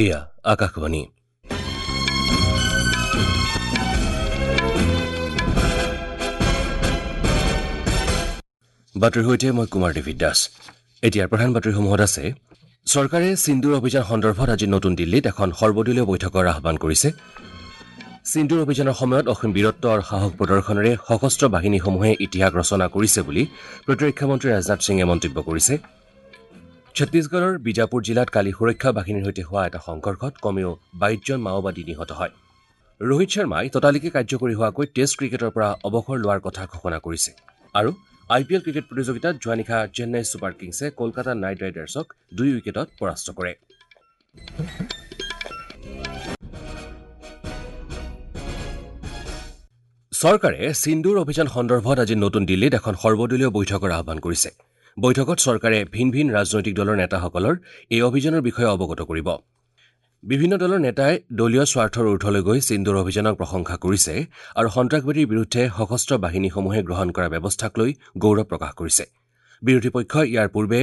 এয়া আকাশবাণী। বাতৰিৰ সৈতে মই কুমাৰ ডেভিড দাস। এতিয়াৰ প্ৰধান বাতৰিসমূহত আছে, চৰকাৰে সিন্দুৰ অভিযান সন্দৰ্ভত আজি নতুন দিল্লীত এখন সৰ্বদলীয় বৈঠকৰ আহ্বান কৰিছে। সিন্দুৰ অভিযানৰ সময়ত অসীম বীৰত্ব আৰু সাহস প্ৰদৰ্শনেৰে সশস্ত্ৰ বাহিনীসমূহে ইতিহাস ৰচনা কৰিছে বুলি প্ৰতিৰক্ষা মন্ত্ৰী ৰাজনাথ সিঙে মন্তব্য কৰিছে। ছত্তীশগড়ৰ বিজাপুৰ জিলাত কালি সুৰক্ষা বাহিনীৰ সৈতে হোৱা এটা সংঘৰ্ষত কমেও 22জন মাওবাদী নিহত হয়। ৰোহিত শৰ্মাই ততালিকে কাৰ্যকৰী হোৱাকৈ টেষ্ট ক্ৰিকেটৰ পৰা অৱসৰ লোৱাৰ কথা ঘোষণা কৰিছে। আৰু আই পি এল ক্ৰিকেট প্ৰতিযোগিতাত যোৱা নিশা চেন্নাই ছুপাৰ কিংছে কলকাতা নাইট ৰাইডাৰ্ছক 2 উইকেটত পৰাস্ত কৰে। চৰকাৰে সিন্দুৰ অভিযান সন্দৰ্ভত আজি নতুন দিল্লীত এখন সৰ্বদলীয় বৈঠকৰ আহ্বান কৰিছে। বৈঠকত চৰকাৰে ভিন ভিন ৰাজনৈতিক দলৰ নেতাসকলৰ এই অভিযানৰ বিষয়ে অৱগত কৰিব। বিভিন্ন দলৰ নেতাই দলীয় স্বাৰ্থৰ ঊৰ্ধলৈ গৈ সিন্দুৰ অভিযানক প্ৰশংসা কৰিছে আৰু সন্ত্ৰাসবাদীৰ বিৰুদ্ধে সশস্ত্ৰ বাহিনীসমূহে গ্ৰহণ কৰা ব্যৱস্থাক লৈ গৌৰৱ প্ৰকাশ কৰিছে। বিৰোধী পক্ষই ইয়াৰ পূৰ্বে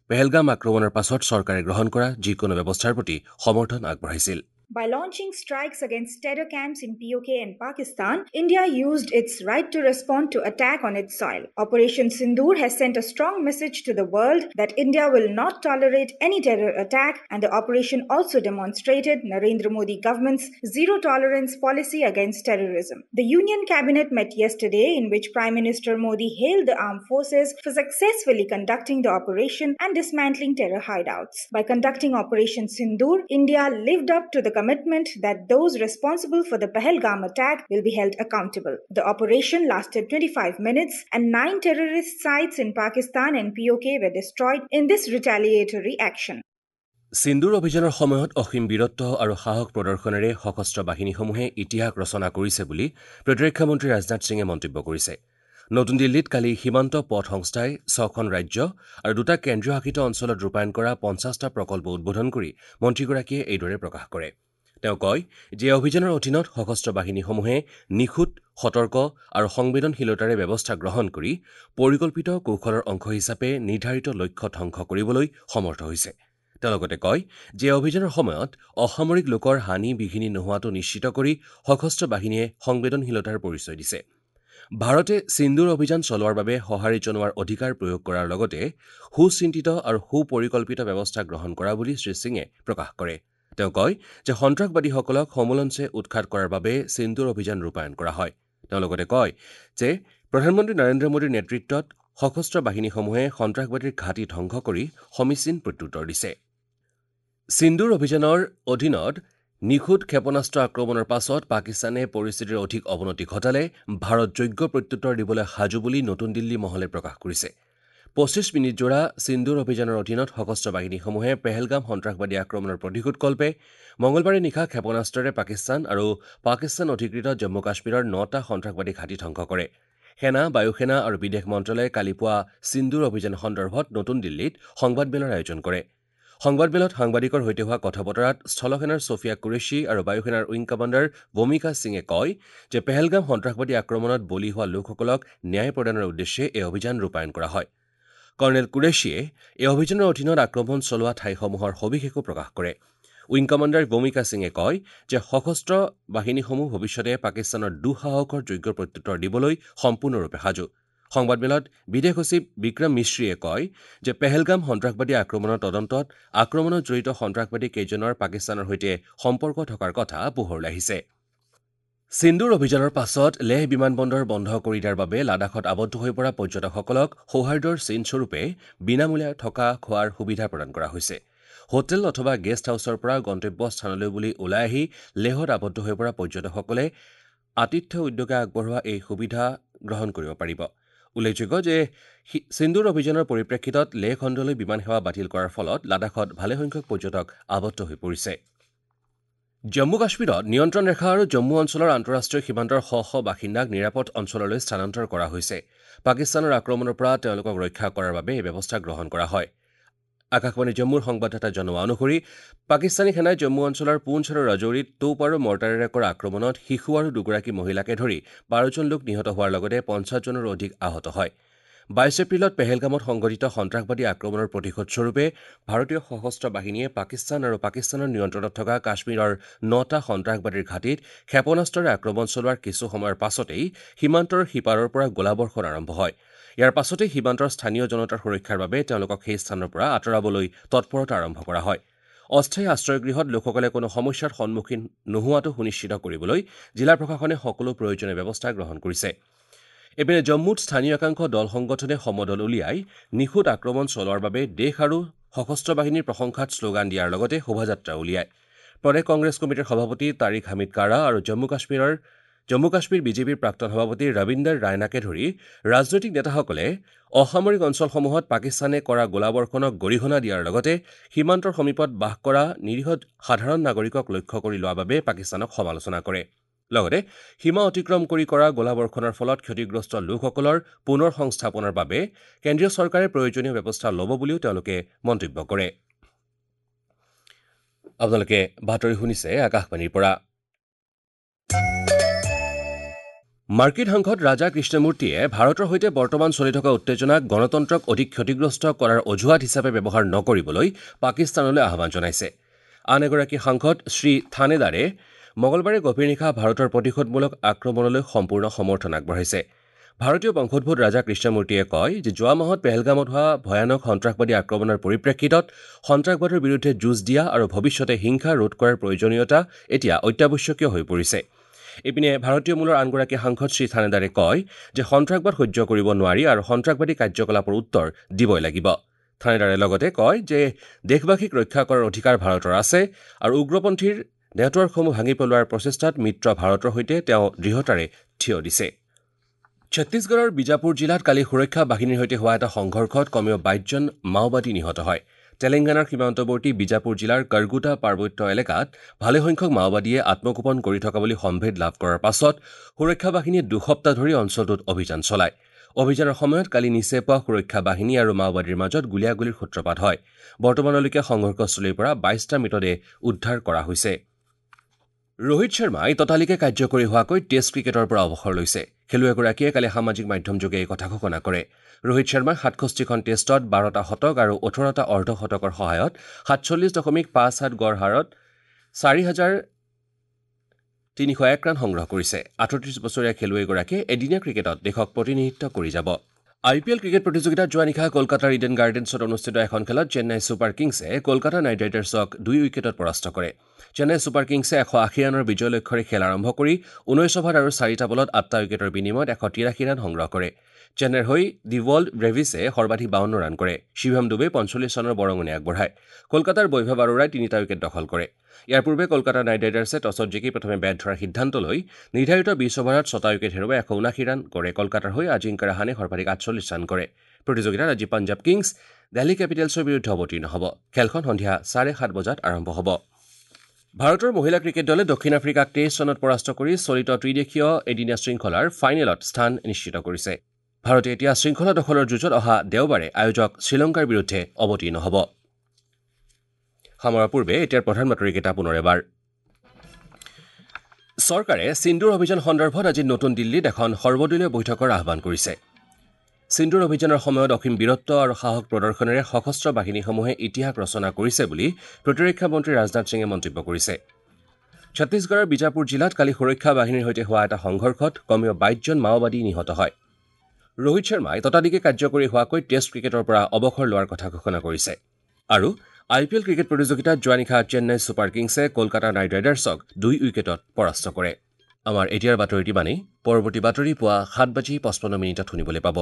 পেহেলগাম আক্ৰমণৰ পাছত চৰকাৰে গ্ৰহণ কৰা যিকোনো ব্যৱস্থাৰ প্ৰতি সমৰ্থন আগবঢ়াইছিল। By launching strikes against terror camps in POK and Pakistan, India used its right to respond to attack on its soil. Operation Sindoor has sent a strong message to the world that India will not tolerate any terror attack, and the operation also demonstrated Narendra Modi government's zero tolerance policy against terrorism. The Union Cabinet met yesterday, in which Prime Minister Modi hailed the armed forces for successfully conducting the operation and dismantling terror hideouts. By conducting Operation Sindoor, India lived up to the commitment that those responsible for the Pahalgam attack will be held accountable. The operation lasted 25 minutes and 9 terrorist sites in Pakistan and POK were destroyed in this retaliatory action. Sindoor অভিযানৰ সময়ত অসীম বীৰত্ব আৰু সাহস প্ৰদৰ্শনেৰে সশস্ত্ৰ বাহিনীসমূহে ইতিহাস ৰচনা কৰিছে বুলি প্ৰতিৰক্ষা মন্ত্ৰী ৰাজনাথ সিঙে মন্তব্য কৰিছে। নতুন দিল্লীত কালি সীমান্ত পথ সংস্থাই 6খন ৰাজ্য আৰু 2টা কেন্দ্ৰীয় শাসিত অঞ্চলত ৰূপায়ণ কৰা 50টা প্ৰকল্প উদ্বোধন কৰি মন্ত্ৰীগৰাকীয়ে এইদৰে প্ৰকাশ কৰে। তেওঁ কয় যে অভিযানৰ অধীনত সশস্ত্ৰ বাহিনীসমূহে নিখুঁত, সতৰ্ক আৰু সংবেদনশীলতাৰে ব্যৱস্থা গ্ৰহণ কৰি পৰিকল্পিত কৌশলৰ অংশ হিচাপে নিৰ্ধাৰিত লক্ষ্য ধ্বংস কৰিবলৈ সমৰ্থ হৈছে। তেওঁ লগতে কয় যে অভিযানৰ সময়ত অসামৰিক লোকৰ হানি বিঘিনি নোহোৱাটো নিশ্চিত কৰি সশস্ত্ৰ বাহিনীয়ে সংবেদনশীলতাৰ পৰিচয় দিছে। ভাৰতে সিন্দুৰ অভিযান চলোৱাৰ বাবে সঁহাৰি জনোৱাৰ অধিকাৰ প্ৰয়োগ কৰাৰ লগতে সুচিন্তিত আৰু সুপৰিকল্পিত ব্যৱস্থা গ্ৰহণ কৰা বুলি শ্ৰী সিঙে প্ৰকাশ কৰে। তেওঁ কয় যে সন্ত্ৰাসবাদীসকলক সমূলঞ্চে উৎখাত কৰাৰ বাবে সিন্দুৰ অভিযান ৰূপায়ণ কৰা হয়। তেওঁ লগতে কয় যে প্ৰধানমন্ত্ৰী নৰেন্দ্ৰ মোদীৰ নেতৃত্বত সশস্ত্ৰ বাহিনীসমূহে সন্ত্ৰাসবাদীৰ ঘাটি ধ্বংস কৰি সমীচীন প্ৰত্যুত্তৰ দিছে। সিন্দুৰ অভিযানৰ অধীনত নিখুঁত ক্ষেপণাস্ত্ৰ আক্ৰমণৰ পাছত পাকিস্তানে পৰিস্থিতিৰ অধিক অৱনতি ঘটালে ভাৰত যোগ্য প্ৰত্যুত্তৰ দিবলৈ সাজু বুলি নতুন দিল্লী মহলে প্ৰকাশ কৰিছে। 25 মিনিটজোৰা সিন্দুৰ অভিযানৰ অধীনত সশস্ত্ৰ বাহিনীসমূহে পেহেলগাম সন্ত্ৰাসবাদী আক্ৰমণৰ প্ৰতিশোধকল্পে মঙলবাৰে নিশা ক্ষেপণাস্ত্ৰৰে পাকিস্তান আৰু পাকিস্তান অধিকৃত জম্মু কাশ্মীৰৰ 9টা সন্ত্ৰাসবাদী ঘাটি ধ্বংস কৰে। সেনা, বায়ুসেনা আৰু বিদেশ মন্ত্ৰালয়ে কালি পুৱা সিন্দুৰ অভিযান সন্দৰ্ভত নতুন দিল্লীত সংবাদমেলৰ আয়োজন কৰে। সংবাদমেলত সাংবাদিকৰ সৈতে হোৱা কথা বতৰাত স্থলসেনাৰ ছফিয়া কুৰেশ্বী আৰু বায়ুসেনাৰ উইং কমাণ্ডাৰ ভূমিকা সিঙে কয় যে পেহেলগাম সন্ত্ৰাসবাদী আক্ৰমণত বলি হোৱা লোকসকলক ন্যায় প্ৰদানৰ উদ্দেশ্যে এই অভিযান ৰূপায়ণ কৰা হয়। কৰ্ণেল কুৰেশ্বীয়ে এই অভিযানৰ অধীনত আক্ৰমণ চলোৱা ঠাইসমূহৰ সবিশেষো প্ৰকাশ কৰে। উইং কমাণ্ডাৰ ভূমিকা সিঙে কয় যে সশস্ত্ৰ বাহিনীসমূহ ভৱিষ্যতে পাকিস্তানৰ দুঃসাহসৰ যোগ্য প্ৰত্যুত্তৰ দিবলৈ সম্পূৰ্ণৰূপে সাজু। সংবাদমেলত বিদেশ সচিব বিক্ৰম মিশ্ৰীয়ে কয় যে পেহেলগাম সন্ত্ৰাসবাদী আক্ৰমণৰ তদন্তত আক্ৰমণত জড়িত সন্ত্ৰাসবাদী কেইজনৰ পাকিস্তানৰ সৈতে সম্পৰ্ক থকাৰ কথা পোহৰলৈ আহিছে। সিন্দুৰ অভিযানৰ পাছত লেহ বিমানবন্দৰ বন্ধ কৰি দিয়াৰ বাবে লাডাখত আবদ্ধ হৈ পৰা পৰ্যটকসকলক সৌহাৰ্দ্যৰ চিনস্বৰূপে বিনামূলীয়া থকা খোৱাৰ সুবিধা প্ৰদান কৰা হৈছে। হোটেল অথবা গেষ্ট হাউচৰ পৰা গন্তব্য স্থানলৈ বুলি ওলাই আহি লেহত আবদ্ধ হৈ পৰা পৰ্যটকসকলে আতিথ্য উদ্যোগে আগবঢ়োৱা এই সুবিধা গ্ৰহণ কৰিব পাৰিব। উল্লেখযোগ্য যে সিন্দুৰ অভিযানৰ পৰিপ্ৰেক্ষিতত লেহ খণ্ডলৈ বিমান সেৱা বাতিল কৰাৰ ফলত লাডাখত ভালেসংখ্যক পৰ্যটক আবদ্ধ হৈ পৰিছে। জম্মু কাশ্মীৰত নিয়ন্ত্ৰণ ৰেখা আৰু জম্মু অঞ্চলৰ আন্তঃৰাষ্ট্ৰীয় সীমান্তৰ শ শ বাসিন্দাক নিৰাপদ অঞ্চললৈ স্থানান্তৰ কৰা হৈছে। পাকিস্তানৰ আক্ৰমণৰ পৰা তেওঁলোকক ৰক্ষা কৰাৰ বাবে এই ব্যৱস্থা গ্ৰহণ কৰা হয়। আকাশবাণী জম্মুৰ সংবাদদাতা জনোৱা অনুসৰি পাকিস্তানী সেনাই জম্মু অঞ্চলৰ পুঞ্চ আৰু ৰাজৌৰীত তোপ আৰু মৰ্টাৰেৰে কৰা আক্ৰমণত শিশু আৰু 2গৰাকী মহিলাকে ধৰি 12জন লোক নিহত হোৱাৰ লগতে 50জনৰো অধিক আহত হয়। 22 এপ্ৰিলত পেহেলগামত সংঘটিত সন্ত্ৰাসবাদী আক্ৰমণৰ প্ৰতিশোধস্বৰূপে ভাৰতীয় সশস্ত্ৰ বাহিনীয়ে পাকিস্তান আৰু পাকিস্তানৰ নিয়ন্ত্ৰণত থকা কাশ্মীৰৰ 9টা সন্ত্ৰাসবাদীৰ ঘাটিত ক্ষেপণাস্ত্ৰৰে আক্ৰমণ চলোৱাৰ কিছু সময়ৰ পাছতেই সীমান্তৰ সিপাৰৰ পৰা গোলাবৰ্ষণ আৰম্ভ হয়। ইয়াৰ পাছতেই সীমান্তৰ স্থানীয় জনতাৰ সুৰক্ষাৰ বাবে তেওঁলোকক সেই স্থানৰ পৰা আঁতৰাবলৈ তৎপৰতা আৰম্ভ কৰা হয়। অস্থায়ী আশ্ৰয়গৃহত লোকসকলে কোনো সমস্যাৰ সন্মুখীন নোহোৱাটো সুনিশ্চিত কৰিবলৈ জিলা প্ৰশাসনে সকলো প্ৰয়োজনীয় ব্যৱস্থা গ্ৰহণ কৰিছে। ইপিনে জম্মুত স্থানীয় একাংশ দল সংগঠনে সমদল উলিয়াই নিখুঁত আক্ৰমণ চলোৱাৰ বাবে দেশ আৰু সশস্ত্ৰ বাহিনীৰ প্ৰশংসাত শ্লোগান দিয়াৰ লগতে শোভাযাত্ৰা উলিয়ায়। প্ৰদেশ কংগ্ৰেছ কমিটিৰ সভাপতি তাৰিক হামিদ কাৰা আৰু জম্মু কাশ্মীৰ বিজেপিৰ প্ৰাক্তন সভাপতি ৰবীন্দৰ ৰায়নাকে ধৰি ৰাজনৈতিক নেতাসকলে অসামৰিক অঞ্চলসমূহত পাকিস্তানে কৰা গোলাবৰ্ষণক গৰিহণা দিয়াৰ লগতে সীমান্তৰ সমীপত বাস কৰা নিৰীহ সাধাৰণ নাগৰিকক লক্ষ্য কৰি লোৱাৰ বাবে পাকিস্তানক সমালোচনা কৰে। লগতে সীমা অতিক্ৰম কৰি কৰা গোলাবৰ্ষণৰ ফলত ক্ষতিগ্ৰস্ত লোকসকলৰ পুনৰ সংস্থাপনৰ বাবে কেন্দ্ৰীয় চৰকাৰে প্ৰয়োজনীয় ব্যৱস্থা ল'ব বুলিও তেওঁলোকে মন্তব্য কৰে। আপোনালোকে বাতৰি শুনিছে আকাশবাণীৰ পৰা। মাৰ্কিন সাংসদ ৰাজা কৃষ্ণমূৰ্তিয়ে ভাৰতৰ সৈতে বৰ্তমান চলি থকা উত্তেজনাক গণতন্ত্ৰক অধিক ক্ষতিগ্ৰস্ত কৰাৰ অজুহাত হিচাপে ব্যৱহাৰ নকৰিবলৈ পাকিস্তানলৈ আহ্বান জনাইছে। আন এগৰাকী সাংসদ শ্ৰী থানেদাৰে মঙলবাৰে গভীৰ নিশা ভাৰতৰ প্ৰতিশোধমূলক আক্ৰমণলৈ সম্পূৰ্ণ সমৰ্থন আগবঢ়াইছে। ভাৰতীয় বংশোদ্ভূত ৰাজা কৃষ্ণমূৰ্তিয়ে কয় যে যোৱা মাহত পেহেলগামত হোৱা ভয়ানক সন্ত্ৰাসবাদী আক্ৰমণৰ পৰিপ্ৰেক্ষিতত সন্ত্ৰাসবাদৰ বিৰুদ্ধে যুঁজ দিয়া আৰু ভৱিষ্যতে হিংসা ৰোধ কৰাৰ প্ৰয়োজনীয়তা এতিয়া অত্যাৱশ্যকীয় হৈ পৰিছে। ইপিনে ভাৰতীয় মূলৰ আনগৰাকী সাংসদ শ্ৰী থানেদাৰে কয় যে সন্ত্ৰাসবাদ সহ্য কৰিব নোৱাৰি আৰু সন্ত্ৰাসবাদী কাৰ্যকলাপৰ উত্তৰ দিবই লাগিব। থানেদাৰে লগতে কয় যে দেশবাসীক ৰক্ষা কৰাৰ অধিকাৰ ভাৰতৰ আছে আৰু উগ্ৰপন্থীৰ নেটৱৰ্কসমূহ ভাঙি পেলোৱাৰ প্ৰচেষ্টাত মিত্ৰ ভাৰতৰ সৈতে তেওঁ দৃঢ়তাৰে থিয় দিছে। ছত্তীশগড়ৰ বিজাপুৰ জিলাত কালি সুৰক্ষা বাহিনীৰ সৈতে হোৱা এটা সংঘৰ্ষত কমেও 22 জন মাওবাদী নিহত হয়। তেলেংগানাৰ সীমান্তৱৰ্তী বিজাপুৰ জিলাৰ কাৰগুটা পাৰ্বত্য এলেকাত ভালেসংখ্যক মাওবাদীয়ে আত্মগোপন কৰি থকা বুলি সম্ভেদ লাভ কৰাৰ পাছত সুৰক্ষা বাহিনীয়ে 2 সপ্তাহ ধৰি অঞ্চলটোত অভিযান চলায়। অভিযানৰ সময়ত কালি নিচে পোৱা সুৰক্ষা বাহিনী আৰু মাওবাদীৰ মাজত গুলীয়াগুলীৰ সূত্ৰপাত হয়। বৰ্তমানলৈকে সংঘৰ্ষস্থলীৰ পৰা 22টা মৃতদেহ উদ্ধাৰ কৰা হৈছে। ৰোহিত শৰ্মাই ততালিকে কাৰ্যকৰী হোৱাকৈ টেষ্ট ক্ৰিকেটৰ পৰা অৱসৰ লৈছে। খেলুৱৈগৰাকীয়ে কালি সামাজিক মাধ্যমযোগে এই কথা ঘোষণা কৰে। ৰোহিত শৰ্মাই 67খন টেষ্টত 12টা শতক আৰু 18টা অৰ্ধশতকৰ সহায়ত 47.57 গড় হাৰত 4,301 ৰান সংগ্ৰহ কৰিছে। 38 বছৰীয়া খেলুৱৈগৰাকীয়ে এদিনীয়া ক্ৰিকেটত দেশক প্ৰতিনিধিত্ব কৰি যাব। আই পি এল ক্ৰিকেট প্ৰতিযোগিতাত যোৱা নিশা কলকাতাৰ ইডেন গাৰ্ডেন্সত অনুষ্ঠিত এখন খেলত চেন্নাই ছুপাৰ কিংছে কলকাতা নাইট ৰাইডাৰ্ছক 2 উইকেটত পৰাস্ত কৰে। চেন্নাই ছুপাৰ কিংছে 180 ৰানৰ বিজয় লক্ষ্যৰে খেল আৰম্ভ কৰি 19 অভাৰ আৰু 4টা বলত 8টা উইকেটৰ বিনিময়ত 183 ৰান সংগ্ৰহ কৰে। চেন্নাইৰ হৈ ডিৱল্ড ব্ৰেভিছে সৰ্বাধিক 52 ৰান কৰে। শিৱম ডুবে 45 ৰানৰ বৰঙণি আগবঢ়ায়। কলকাতাৰ বৈভৱ আৰোৰাই 3টা উইকেট দখল কৰে। ইয়াৰ পূৰ্বে কলকাতা নাইট ৰাইডাৰ্ছে টছত জিকি প্ৰথমে বেট ধৰাৰ সিদ্ধান্ত লৈ নিৰ্ধাৰিত 20 অভাৰত 6টা উইকেট হেৰুৱাই 179 ৰান কৰে। কলকাতাৰ হৈ আজিংক্য ৰাহানে সৰ্বাধিক 48 ৰান কৰে। প্ৰতিযোগিতাত আজি পাঞ্জাৱ কিংছ দিল্লী কেপিটেলছৰ বিৰুদ্ধে অৱতীৰ্ণ হ'ব। খেলখন সন্ধিয়া 7:30 বজাত আৰম্ভ হ'ব। ভাৰতৰ মহিলা ক্ৰিকেট দলে দক্ষিণ আফ্ৰিকাক 23 ৰানত পৰাস্ত কৰি চলিত ত্ৰিদেশীয় এদিনীয়া শৃংখলাৰ ফাইনেলত স্থান নিশ্চিত কৰিছে। ভাৰতে এতিয়া শৃংখলা দখলৰ যুঁজত অহা দেওবাৰে আয়োজক শ্ৰীলংকাৰ বিৰুদ্ধে অৱতীৰ্ণ হ'ব। সামৰাৰ পূৰ্বে এতিয়াৰ প্ৰধান বাতৰিকেইটা পুনৰ এবাৰ। চৰকাৰে সিন্দুৰ অভিযান সন্দৰ্ভত আজি নতুন দিল্লীত এখন সৰ্বদলীয় বৈঠকৰ আহ্বান কৰিছে। সিন্দুৰ অভিযানৰ সময়ত অসীম বীৰত্ব আৰু সাহস প্ৰদৰ্শনেৰে সশস্ত্ৰ বাহিনীসমূহে ইতিহাস ৰচনা কৰিছে বুলি প্ৰতিৰক্ষা মন্ত্ৰী ৰাজনাথ সিঙে মন্তব্য কৰিছে। ছত্তীশগড়ৰ বিজাপুৰ জিলাত কালি সুৰক্ষা বাহিনীৰ সৈতে হোৱা এটা সংঘৰ্ষত কমেও 22 জন মাওবাদী নিহত হয়। ৰোহিত শৰ্মাই ততালিকে কাৰ্যকৰী হোৱাকৈ টেষ্ট ক্ৰিকেটৰ পৰা অৱসৰ লোৱাৰ কথা ঘোষণা কৰিছে। আৰু আই পি এল ক্ৰিকেট প্ৰতিযোগিতাত যোৱা নিশা চেন্নাই ছুপাৰ কিংছে কলকাতা নাইট ৰাইডাৰ্ছক 2 উইকেটত পৰাস্ত কৰে। আমাৰ এতিয়াৰ বাতৰিটি মানেই। পৰৱৰ্তী বাতৰি পুৱা 7:55 শুনিবলৈ পাব।